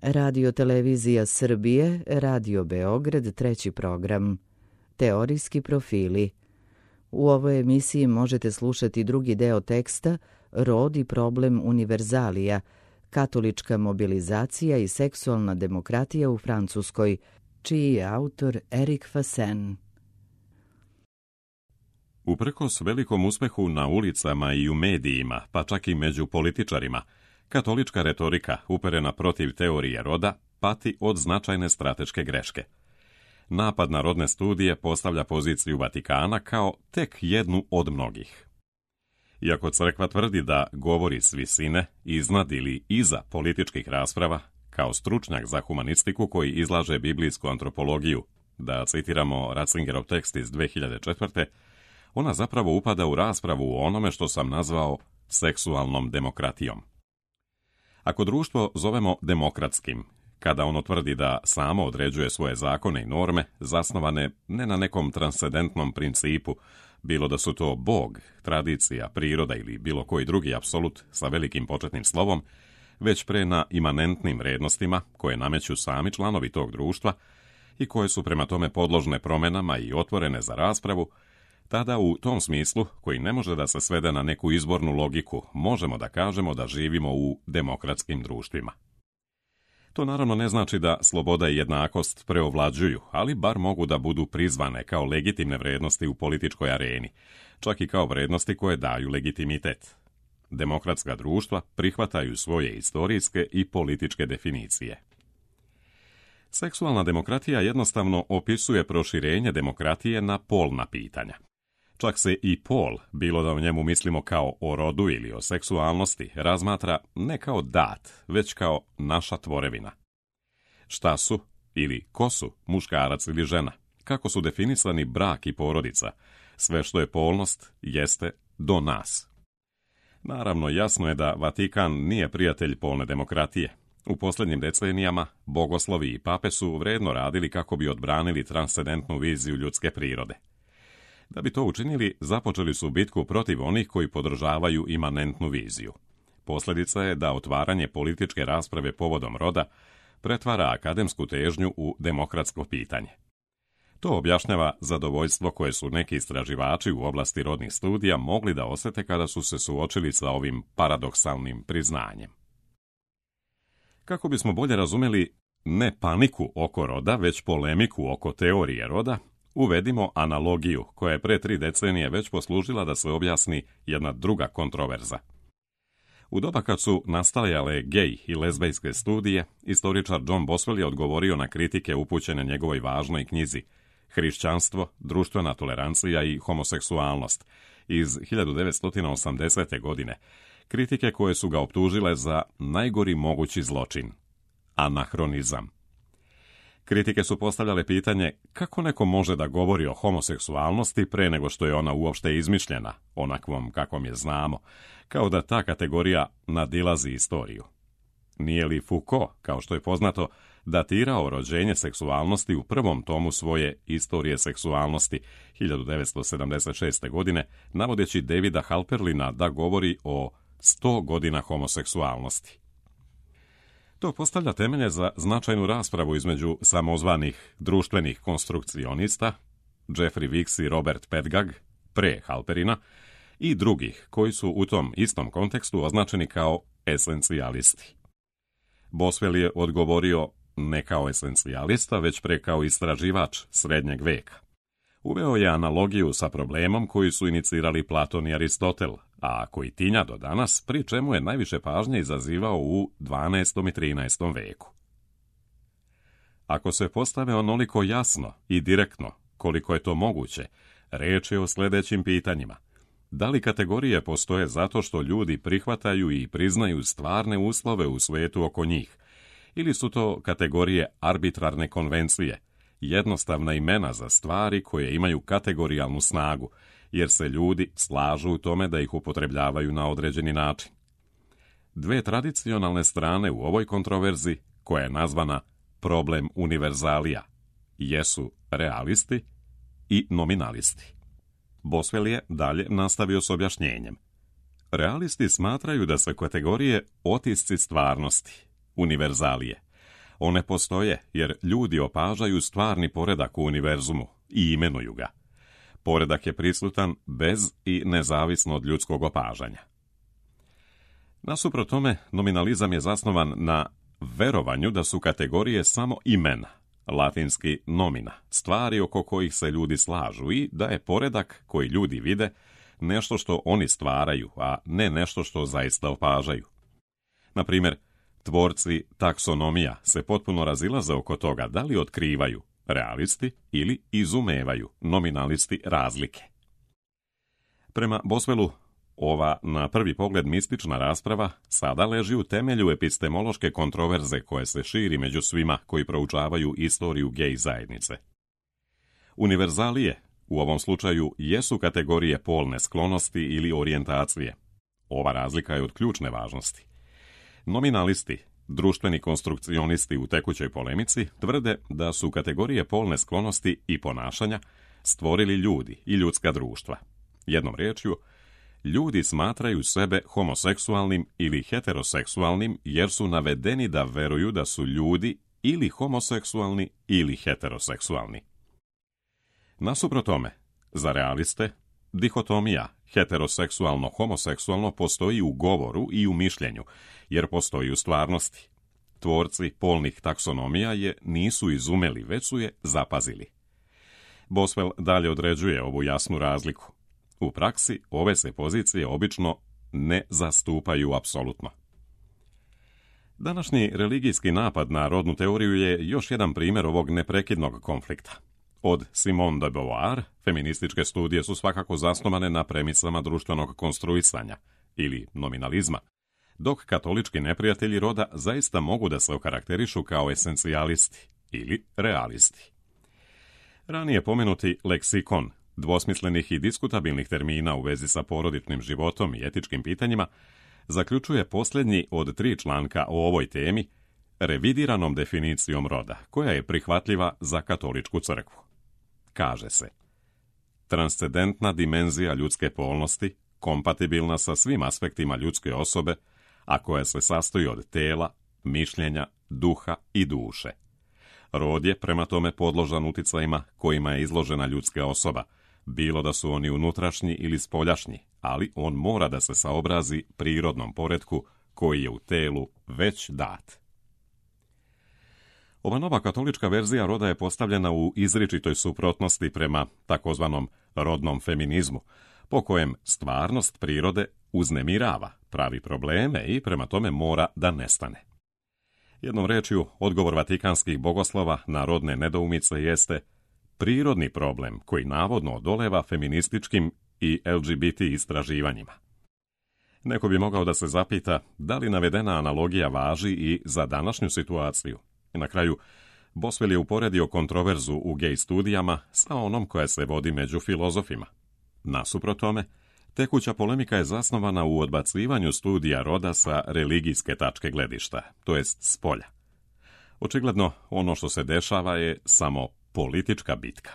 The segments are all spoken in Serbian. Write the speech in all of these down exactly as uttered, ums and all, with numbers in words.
Radio Televizija Srbije, Radio Beograd, treći program. Teorijski profili. U ovoj emisiji možete slušati drugi deo teksta Rod i problem univerzalija, katolička mobilizacija i seksualna demokratija u Francuskoj, čiji je autor Erik Fasen. Uprkos velikom uspehu na ulicama i u medijima, pa čak i među političarima, katolička retorika uperena protiv teorije roda pati od značajne strateške greške. Napad na rodne studije postavlja poziciju Vatikana kao tek jednu od mnogih. Iako crkva tvrdi da govori s visine, iznad ili iza političkih rasprava, kao stručnjak za humanistiku koji izlaže biblijsku antropologiju, da citiramo Ratzingerov tekst iz dve hiljade četvrte, ona zapravo upada u raspravu o onome što sam nazvao seksualnom demokratijom. Ako društvo zovemo demokratskim, kada ono tvrdi da samo određuje svoje zakone i norme, zasnovane ne na nekom transcendentnom principu, bilo da su to Bog, tradicija, priroda ili bilo koji drugi apsolut sa velikim početnim slovom, već pre na imanentnim vrednostima koje nameću sami članovi tog društva i koje su prema tome podložne promjenama i otvorene za raspravu, tada u tom smislu, koji ne može da se svede na neku izbornu logiku, možemo da kažemo da živimo u demokratskim društvima. To naravno ne znači da sloboda i jednakost preovlađuju, ali bar mogu da budu prizvane kao legitimne vrednosti u političkoj areni, čak i kao vrednosti koje daju legitimitet. Demokratska društva prihvataju svoje istorijske i političke definicije. Seksualna demokratija jednostavno opisuje proširenje demokratije na polna pitanja. Čak se i pol, bilo da o njemu mislimo kao o rodu ili o seksualnosti, razmatra ne kao dat, već kao naša tvorevina. Šta su ili ko su muškarac ili žena, kako su definisani brak i porodica, sve što je polnost jeste do nas. Naravno, jasno je da Vatikan nije prijatelj polne demokratije. U posljednjim decenijama bogoslovi i pape su vredno radili kako bi odbranili transcendentnu viziju ljudske prirode. Da bi to učinili, započeli su bitku protiv onih koji podržavaju imanentnu viziju. Posljedica je da otvaranje političke rasprave povodom roda pretvara akademsku težnju u demokratsko pitanje. To objašnjava zadovoljstvo koje su neki istraživači u oblasti rodnih studija mogli da osjete kada su se suočili sa ovim paradoksalnim priznanjem. Kako bismo bolje razumjeli ne paniku oko roda, već polemiku oko teorije roda, uvedimo analogiju koja je pre tri decenije već poslužila da se objasni jedna druga kontroverza. U doba kad su nastajale gej i lezbejske studije, istoričar John Boswell je odgovorio na kritike upućene njegovoj važnoj knjizi Hrišćanstvo, društvena tolerancija i homoseksualnost iz hiljadu devetsto osamdesete. godine, kritike koje su ga optužile za najgori mogući zločin – anahronizam. Kritike su postavljale pitanje kako neko može da govori o homoseksualnosti pre nego što je ona uopšte izmišljena, onakvom kakvom je znamo, kao da ta kategorija nadilazi istoriju. Nije li Foucault, kao što je poznato, datirao rođenje seksualnosti u prvom tomu svoje Istorije seksualnosti hiljadu devetsto sedamdeset šeste. godine, navodeći Davida Halperlina da govori o sto godina homoseksualnosti. To postavlja temelje za značajnu raspravu između samozvanih društvenih konstrukcionista, Jeffrey Weeks i Robert Pedgag, pre Halperina, i drugih koji su u tom istom kontekstu označeni kao esencijalisti. Boswell je odgovorio ne kao esencijalista, već pre kao istraživač srednjeg veka. Uveo je analogiju sa problemom koji su inicirali Platon i Aristotel, a koji tinja do danas, pri čemu je najviše pažnje izazivao u dvanaestom i trinaestom veku. Ako se postave onoliko jasno i direktno koliko je to moguće, reč je o sljedećim pitanjima. Da li kategorije postoje zato što ljudi prihvataju i priznaju stvarne uslove u svijetu oko njih, ili su to kategorije arbitrarne konvencije, jednostavna imena za stvari koje imaju kategorijalnu snagu, jer se ljudi slažu u tome da ih upotrebljavaju na određeni način. Dve tradicionalne strane u ovoj kontroverzi, koja je nazvana problem univerzalija, jesu realisti i nominalisti. Boswell je dalje nastavio s objašnjenjem. Realisti smatraju da su kategorije otisci stvarnosti, univerzalije, One postoje jer ljudi opažaju stvarni poredak u univerzumu i imenuju ga. Poredak je prisutan bez i nezavisno od ljudskog opažanja. Nasuprot tome, nominalizam je zasnovan na verovanju da su kategorije samo imena, latinski nomina, stvari oko kojih se ljudi slažu i da je poredak koji ljudi vide nešto što oni stvaraju, a ne nešto što zaista opažaju. Na primjer, tvorci taksonomija se potpuno razilaze oko toga da li otkrivaju, realisti, ili izumevaju, nominalisti, razlike. Prema Boswellu, ova na prvi pogled mistična rasprava sada leži u temelju epistemološke kontroverze koje se širi među svima koji proučavaju istoriju gej zajednice. Univerzalije u ovom slučaju jesu kategorije polne sklonosti ili orijentacije. Ova razlika je od ključne važnosti. Nominalisti, društveni konstrukcionisti u tekućoj polemici, tvrde da su kategorije polne sklonosti i ponašanja stvorili ljudi i ljudska društva. Jednom riječju, ljudi smatraju sebe homoseksualnim ili heteroseksualnim jer su navedeni da veruju da su ljudi ili homoseksualni ili heteroseksualni. Nasuprot tome, za realiste, dihotomija heteroseksualno-homoseksualno postoji u govoru i u mišljenju, jer postoji u stvarnosti. Tvorci polnih taksonomija je nisu izumeli, već su je zapazili. Boswell dalje određuje ovu jasnu razliku. U praksi ove se pozicije obično ne zastupaju apsolutno. Današnji religijski napad na rodnu teoriju je još jedan primjer ovog neprekidnog konflikta. Od Simone de Beauvoir, feminističke studije su svakako zasnovane na premisama društvenog konstruisanja ili nominalizma, dok katolički neprijatelji roda zaista mogu da se okarakterišu kao esencijalisti ili realisti. Ranije pomenuti leksikon dvosmislenih i diskutabilnih termina u vezi sa porodičnim životom i etičkim pitanjima zaključuje posljednji od tri članka o ovoj temi revidiranom definicijom roda, koja je prihvatljiva za katoličku crkvu. Kaže se: transcendentna dimenzija ljudske polnosti, kompatibilna sa svim aspektima ljudske osobe, a koja se sastoji od tela, mišljenja, duha i duše. Rod je prema tome podložan uticajima kojima je izložena ljudska osoba, bilo da su oni unutrašnji ili spoljašnji, ali on mora da se saobrazi prirodnom poretku koji je u telu već dat. Ova nova katolička verzija roda je postavljena u izričitoj suprotnosti prema takozvanom rodnom feminizmu, po kojem stvarnost prirode uznemirava, pravi probleme i prema tome mora da nestane. Jednom rečju, odgovor vatikanskih bogoslova na rodne nedoumice jeste prirodni problem koji navodno odoleva feminističkim i L G B T istraživanjima. Neko bi mogao da se zapita da li navedena analogija važi i za današnju situaciju. I na kraju, Boswell je uporedio kontroverzu u gej studijama sa onom koja se vodi među filozofima. Nasuprot tome, tekuća polemika je zasnovana u odbacivanju studija roda sa religijske tačke gledišta, to jest s polja. Očigledno, ono što se dešava je samo politička bitka.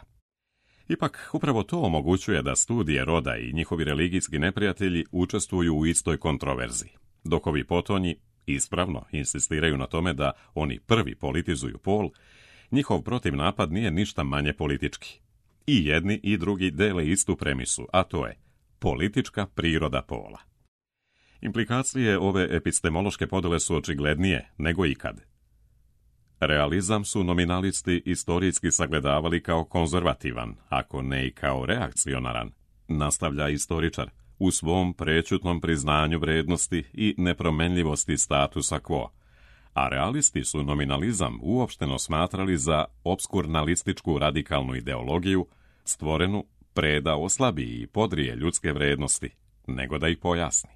Ipak, upravo to omogućuje da studije roda i njihovi religijski neprijatelji učestvuju u istoj kontroverziji, dok ovi potonji ispravno insistiraju na tome da oni prvi politizuju pol, njihov protivnapad nije ništa manje politički. I jedni i drugi dele istu premisu, a to je politička priroda pola. Implikacije ove epistemološke podele su očiglednije nego ikad. Realizam su nominalisti istorijski sagledavali kao konzervativan, ako ne i kao reakcionaran, nastavlja istoričar, u svom prećutnom priznanju vrednosti i nepromenljivosti statusa quo, a realisti su nominalizam uopšteno smatrali za obskurnalističku radikalnu ideologiju, stvorenu pre da oslabi i podrije ljudske vrednosti, nego da ih pojasni.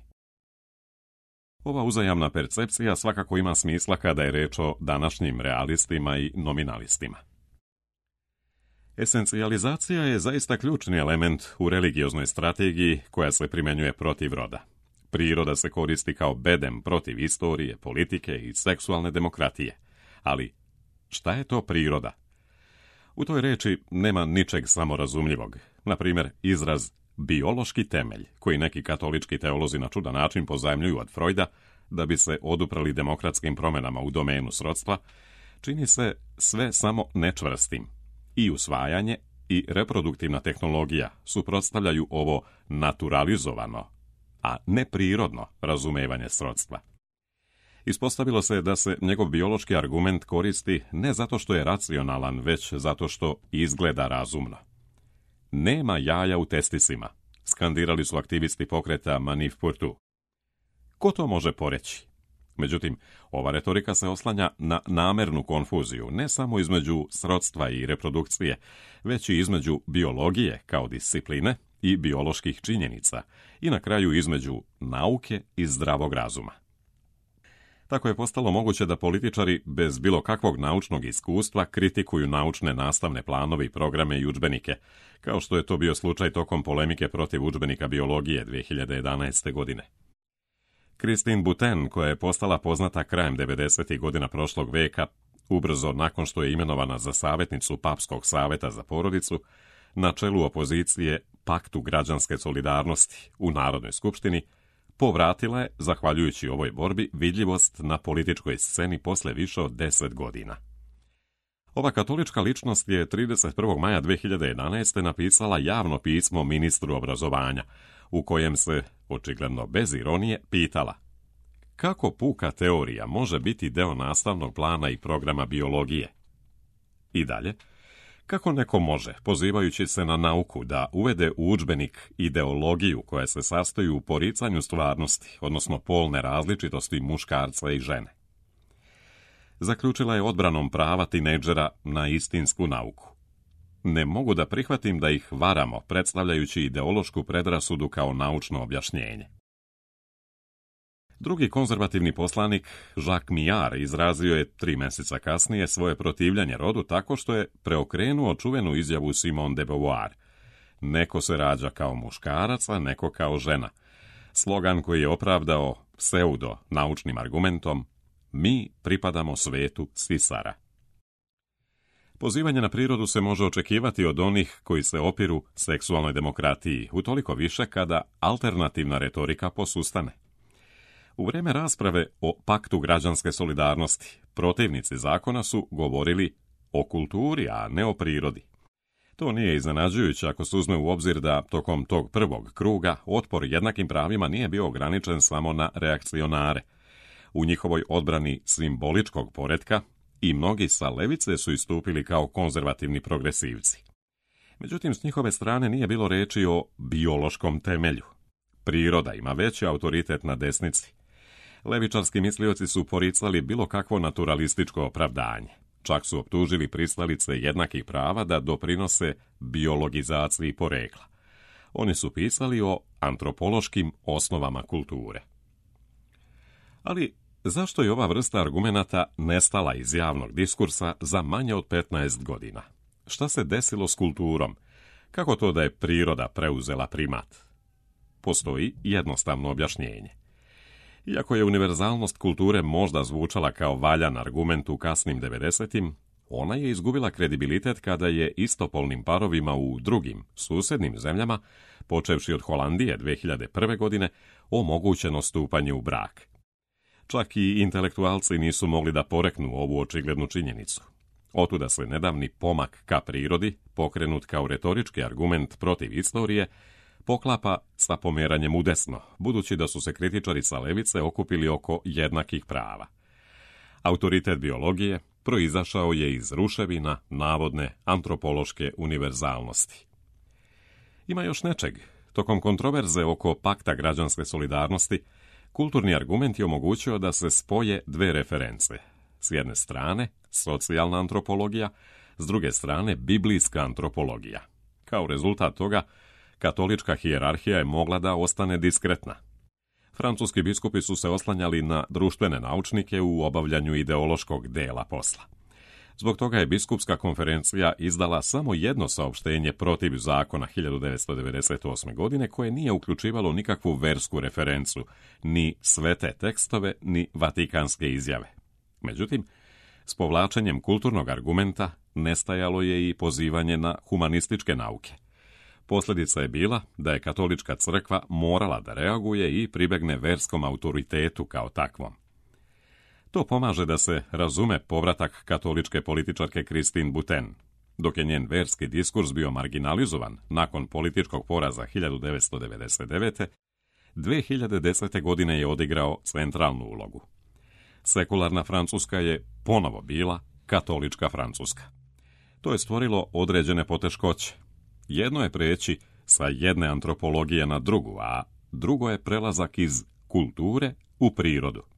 Ova uzajamna percepcija svakako ima smisla kada je reč o današnjim realistima i nominalistima. Esencijalizacija je zaista ključni element u religioznoj strategiji koja se primjenjuje protiv roda. Priroda se koristi kao bedem protiv istorije, politike i seksualne demokratije. Ali šta je to priroda? U toj reči nema ničeg samorazumljivog. Na primjer, izraz biološki temelj, koji neki katolički teolozi na čudan način pozajmljuju od Freuda, da bi se oduprali demokratskim promjenama u domenu srodstva, čini se sve samo nečvrstim. I usvajanje i reproduktivna tehnologija suprotstavljaju ovo naturalizovano, a neprirodno razumevanje srodstva. Ispostavilo se da se njegov biološki argument koristi ne zato što je racionalan, već zato što izgleda razumno. Nema jaja u testisima, skandirali su aktivisti pokreta Manif pour tout. Ko to može poreći? Međutim, ova retorika se oslanja na namernu konfuziju, ne samo između srodstva i reprodukcije, već i između biologije kao discipline i bioloških činjenica i na kraju između nauke i zdravog razuma. Tako je postalo moguće da političari bez bilo kakvog naučnog iskustva kritikuju naučne nastavne planove i programe i udžbenike, kao što je to bio slučaj tokom polemike protiv udžbenika biologije dvije hiljade jedanaeste. godine. Christine Boutin, koja je postala poznata krajem devedesetih godina prošlog veka, ubrzo nakon što je imenovana za savjetnicu Papskog saveta za porodicu, na čelu opozicije Paktu građanske solidarnosti u Narodnoj skupštini, povratila je, zahvaljujući ovoj borbi, vidljivost na političkoj sceni posle više od deset godina. Ova katolička ličnost je trideset prvog maja dvije hiljade jedanaeste. napisala javno pismo ministru obrazovanja, u kojem se, očigledno bez ironije, pitala: kako puka teorija može biti deo nastavnog plana i programa biologije? I dalje, kako neko može, pozivajući se na nauku, da uvede u udžbenik ideologiju koja se sastoji u poricanju stvarnosti, odnosno polne različitosti muškarca i žene? Zaključila je odbranom prava tinejdžera na istinsku nauku. Ne mogu da prihvatim da ih varamo, predstavljajući ideološku predrasudu kao naučno objašnjenje. Drugi konzervativni poslanik, Jacques Millard, izrazio je tri mjeseca kasnije svoje protivljenje rodu tako što je preokrenuo čuvenu izjavu Simone de Beauvoir: neko se rađa kao muškarac, a neko kao žena. Slogan koji je opravdao pseudo naučnim argumentom: mi pripadamo svetu sisara. Pozivanje na prirodu se može očekivati od onih koji se opiru seksualnoj demokratiji, utoliko više kada alternativna retorika posustane. U vrijeme rasprave o Paktu građanske solidarnosti, protivnici zakona su govorili o kulturi, a ne o prirodi. To nije iznenađujuće ako se uzme u obzir da tokom tog prvog kruga otpor jednakim pravima nije bio ograničen samo na reakcionare. U njihovoj odbrani simboličkog poretka i mnogi sa levice su istupili kao konzervativni progresivci. Međutim, s njihove strane nije bilo reči o biološkom temelju. Priroda ima veći autoritet na desnici. Levičarski mislioci su poricali bilo kakvo naturalističko opravdanje. Čak su optužili pristalice jednakih prava da doprinose biologizaciji porekla. Oni su pisali o antropološkim osnovama kulture. Ali zašto je ova vrsta argumenata nestala iz javnog diskursa za manje od petnaest godina? Šta se desilo s kulturom? Kako to da je priroda preuzela primat? Postoji jednostavno objašnjenje. Iako je univerzalnost kulture možda zvučala kao valjan argument u kasnim devedesetim, ona je izgubila kredibilitet kada je istopolnim parovima u drugim, susjednim zemljama, počevši od Holandije dvije hiljade prve. godine, omogućeno stupanje u brak. Čak i intelektualci nisu mogli da poreknu ovu očiglednu činjenicu. Otuda se nedavni pomak ka prirodi, pokrenut kao retorički argument protiv istorije, poklapa sa pomeranjem u desno, budući da su se kritičari sa levice okupili oko jednakih prava. Autoritet biologije proizašao je iz ruševina navodne antropološke univerzalnosti. Ima još nečeg. Tokom kontroverze oko Pakta građanske solidarnosti, kulturni argument je omogućio da se spoje dve reference. S jedne strane, socijalna antropologija, s druge strane, biblijska antropologija. Kao rezultat toga, katolička hijerarhija je mogla da ostane diskretna. Francuski biskupi su se oslanjali na društvene naučnike u obavljanju ideološkog dela posla. Zbog toga je biskupska konferencija izdala samo jedno saopštenje protiv zakona hiljadu devetsto devedeset osme. godine koje nije uključivalo nikakvu versku referencu, ni svete tekstove, ni vatikanske izjave. Međutim, s povlačenjem kulturnog argumenta nestajalo je i pozivanje na humanističke nauke. Posljedica je bila da je katolička crkva morala da reaguje i pribegne verskom autoritetu kao takvom. To pomaže da se razume povratak katoličke političarke Christine Boutin. Dok je njen verski diskurs bio marginalizovan nakon političkog poraza hiljadu devetsto devedeset devete. dve hiljade desete. godine je odigrao centralnu ulogu. Sekularna Francuska je ponovo bila katolička Francuska. To je stvorilo određene poteškoće. Jedno je preći sa jedne antropologije na drugu, a drugo je prelazak iz kulture u prirodu.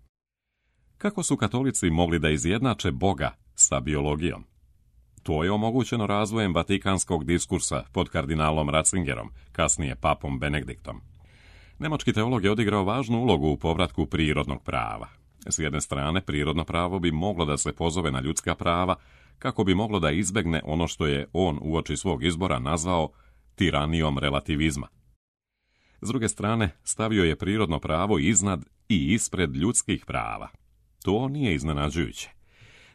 Kako su katolici mogli da izjednače Boga sa biologijom? To je omogućeno razvojem vatikanskog diskursa pod kardinalom Ratzingerom, kasnije papom Benediktom. Nemački teolog je odigrao važnu ulogu u povratku prirodnog prava. S jedne strane, prirodno pravo bi moglo da se pozove na ljudska prava, kako bi moglo da izbegne ono što je on uoči svog izbora nazvao tiranijom relativizma. S druge strane, stavio je prirodno pravo iznad i ispred ljudskih prava. To nije iznenađujuće.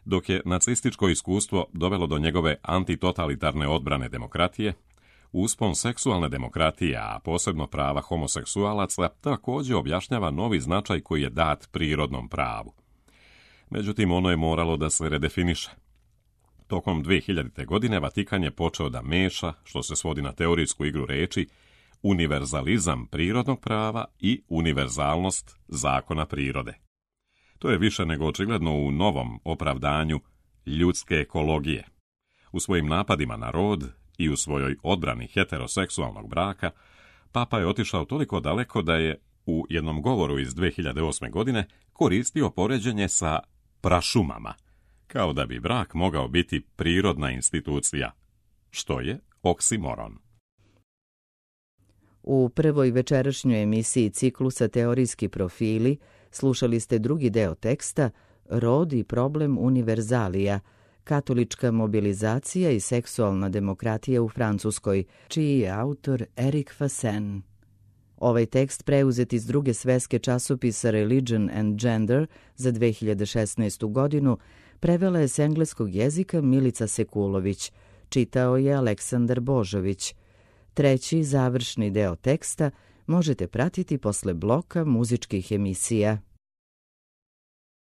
Dok je nacističko iskustvo dovelo do njegove antitotalitarne odbrane demokratije, uspon seksualne demokratije, a posebno prava homoseksualaca, također objašnjava novi značaj koji je dat prirodnom pravu. Međutim, ono je moralo da se redefiniše. Tokom dve hiljadite. godine Vatikan je počeo da meša, što se svodi na teorijsku igru reči, univerzalizam prirodnog prava i univerzalnost zakona prirode. To je više nego očigledno u novom opravdanju ljudske ekologije. U svojim napadima na rod i u svojoj odbrani heteroseksualnog braka, Papa je otišao toliko daleko da je u jednom govoru iz dve hiljade osme. godine koristio poređenje sa prašumama, kao da bi brak mogao biti prirodna institucija, što je oksimoron. U prvoj večerašnjoj emisiji ciklusa Teorijski profili slušali ste drugi deo teksta Rod i problem univerzalija, katolička mobilizacija i seksualna demokratija u Francuskoj, čiji je autor Eric Fassin. Ovaj tekst preuzet iz druge sveske časopisa Religion and Gender za dve hiljade šesnaestu. godinu prevela je s engleskog jezika Milica Sekulović, čitao je Aleksandar Božović. Treći, završni deo teksta možete pratiti posle bloka muzičkih emisija.